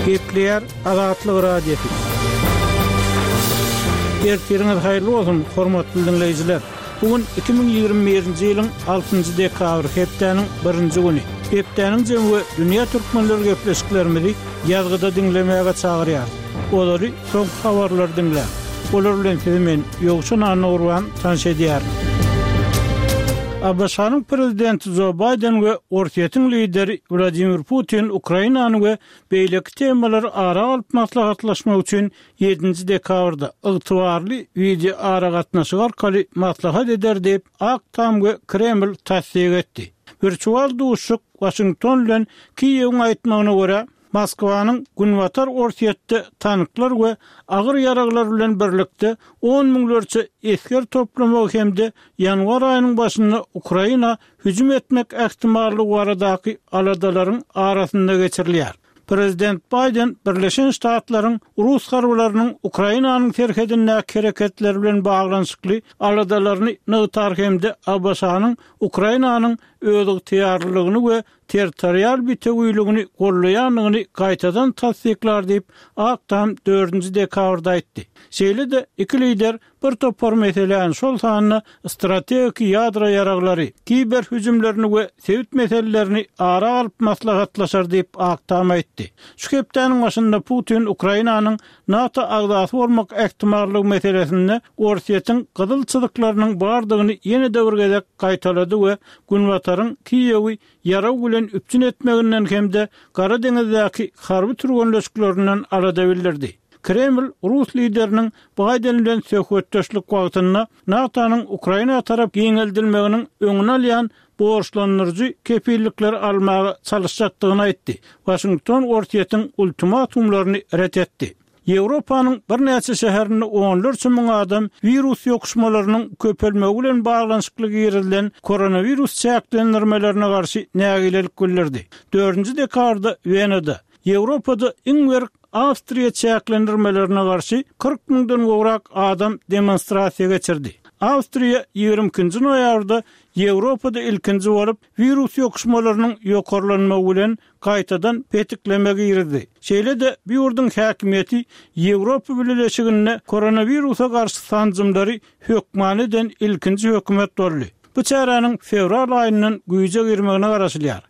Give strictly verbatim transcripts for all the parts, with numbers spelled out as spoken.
Gepleýär Azatlyk Radiosy. Ertiriňiz haýyrly bolsun, hormatly diňleýjiler. Bu gün iki müň ýigrimi birinji ýylyň altynjy dekabry, hepdäniň birinji güni. Hepdäniň jemi we dünýä türkmenleri gepleşiklerimizi ýazgyda diňlemäge çagyrýarys. Olary soňky habarlary diňläň. Olar bilen sizi men Ýowşan Annagurban tanyş edýärin. ABŞ-nyň prezidenti Jo Baýden we Orsýetiň lideri Wladimir Putin Ukrainany we beýleki temalary ara alyp maslahatlaşmak üçin ýedinji dekabrda ygtybarly wideoaragatnaşyk arkaly maslahat eder diýip, Ak Tam we Kreml tassyk etdi. Wirtual duşuşyk Waşington bilen Kiýewiň aýtmagyna görä, Moskwanyň Günbatar Orsýetde tanklar we agyr ýaraglar bilen birlikde on müňlerçe esger toplamagy hem-de ýanwar aýynyň başynda Ukraina hüjüm etmek ähtimallygy baradaky aladalaryň arasynda geçirilýär. Prezident Baýden Birleşen Ştatlaryň rus harbylarynyň Ukrainanyň serhedindäki hereketleri bilen baglanyşykly aladalaryny nygtar hem-de ABŞ-nyň Ukrainanyň özygtyýarlylygyny we territorial bitewiligini gollaýandygyny gaýtadan tassyklar diýip, Ak Tam dördünji dekabrda aýtdy. Şeýle-de iki lider bir topar meseläni, şol sanda strategiki ýadro ýaraglary, kiber hüjümlerini we sebit meselelerini ara alyp maslahatlaşar diýip, Ak Tam aýtdy. Şu hepdäniň başynda Putin Ukrainanyň NATO agzasy bolmak ähtimallygy meselesinde Orsýetiň gyzyl çyzyklarynyň bardygyny ýene-de bir gezek gaýtalady we Günbataryň Kiýewi ýarag bilen üpjün etmeginden hem-de Gara deňizdäki harby türgenleşiklerinden alada bildirdi. Kreml rus lideriniň Baýden bilen söhbetdeşlik wagtynda NATO-nyň Ukraina tarap giňeldilmeginiň öňüni alýan borçlandyryjy kepillikleri almaga çalyşjakdygyny aýtdy. Waşington Orsýetiň ultimatumlaryny ret etdi. Ýewropanyň birnäçe şäherinde onlarça müň adam wirus ýokuşmalarynyň köpelmegi bilen baglanyşykly girizilen koronawirus çäklendirmelerine garşy nägilelik bildirdi. Dördünji dekabrda Wenada, Ýewropada iň berk Awstriýa çäklendirmelerine garşy kyrk müňden gowrak adam demonstrasiýa geçirdi. Awstriýa ýigrimi ikinji noýabrda Ýewropada ilkinji bolup, wirus ýokuşmalarynyň ýokarlanmagy bilen gaýtadan petikleme girizdi. Şeýle-de, bu ýurduň häkimiýeti Ýewropa Bileleşiginde koronawirusa garşy sanjymlary hökmany eden ilkinji hökümet boldy. Bu çäräniň fewral aýyndan güýje girmegine garaşylýar.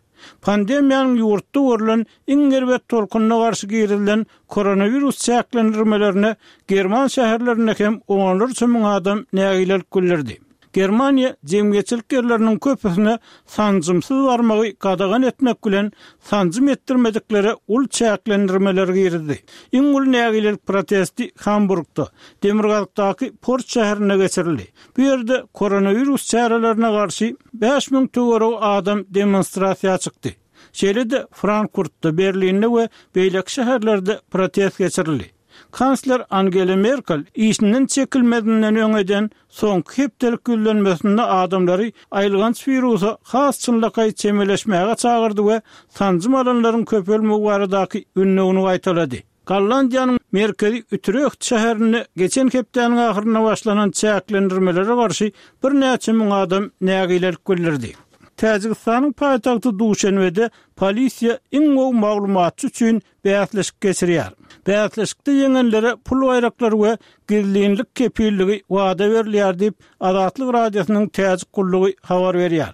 Pandemiýanyň ýurtda görlen iň erbet tolkunyna garşy girizilen koronawirus çäklendirmelerine german şäherlerinde hem onlarça müň adam nägilelik bildirdi. Germaniýa jemgyýetçilik ýerleriniň köpüsine sanjymsyz barmagy gadagan etmek bilen, sanjym etdirmediklere uly çäklendirmeleri girizdi. Iň uly nägilelik protesti Hamburgda, demirgazykdaky port şäherinde geçirildi. Bu ýerde koronawirus çärelerine garşy bäş müň töweregi adam demonstrasiýa çykdy. Şeýle-de Frankfurtda, Berlinde we beýleki şäherlerde protest geçirildi. Kansler Angela Merkel işinden çekilmezinden öň eden soňky hepdelik ýüzlenmesinde adamlary aýylganç wirusa has çynlakaý çemeleşmäge çagyrdy we sanjym alanlaryň köpelmegi baradaky ündewini gaýtalady. Gollandiýanyň merkezi Utreht şäherinde geçen hepdäniň ahyrynda başlanan çäklendirmelere garşy birnäçe müň adam nägilelik bildirdi. Täjigistanyň paýtagty Duşenbede polisiýa iň gowy maglumatçy üçin bäsleşik geçirýär. Bäsleşikde ýeňenlere pul baýraklary we gizlinlik kepilligi wada berilýär diýip, Azatlyk Radiosynyň Täjik gullugy habar berýär.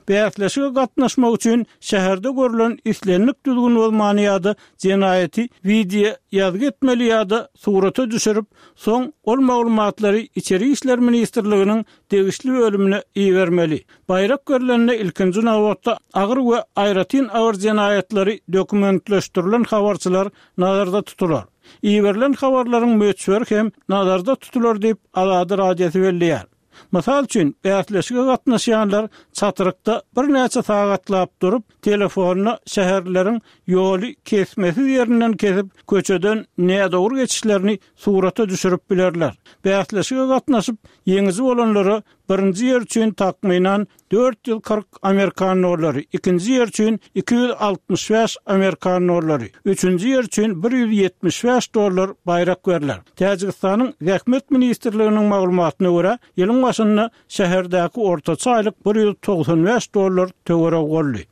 Bäsleşige gatnaşmak üçin şäherde görlen islendik düzgün bozmany ýa-da jenaýaty wideo ýazgy etmeli ýa-da surata düşürip, soň ol maglumatlary Içeri işler ministrliginiň degişli bölümine ibermeli. Baýrak berlende ilkinji nobatda agyr we aýratyn agyr jenaýatlary dokumentleşdirilen habarçylar nazarda tutular. Iberilen habarlaryň möçberi hem nazarda tutular diýip, Azady Radiosy belleýär. Mysal üçin, bäsleşige gatnaşýanlar çatrykda birnäçe sagatlap durup, telefonda şäherlileriň ýoly kesmesiz ýerinden kesip, köçeden nädogry geçişlerini surata düşürip bilerler. Bäsleşige gatnaşyp, ýeňiji bolanlara birinji ýer üçin takmynan dört ýüz kyrk amerikan dollary, ikinji ýer üçin iki ýüz altmyş bäş amerikan dollary, üçünji ýer üçin bir ýüz ýetmiş bäş dollar baýrak berler. Täjigistanyň Zähmet ministrliginiň maglumatyna görä, ýylyň başynda şäherdäki ortaça aýlyk bir ýüz togsan bäş dollar töweregi boldy.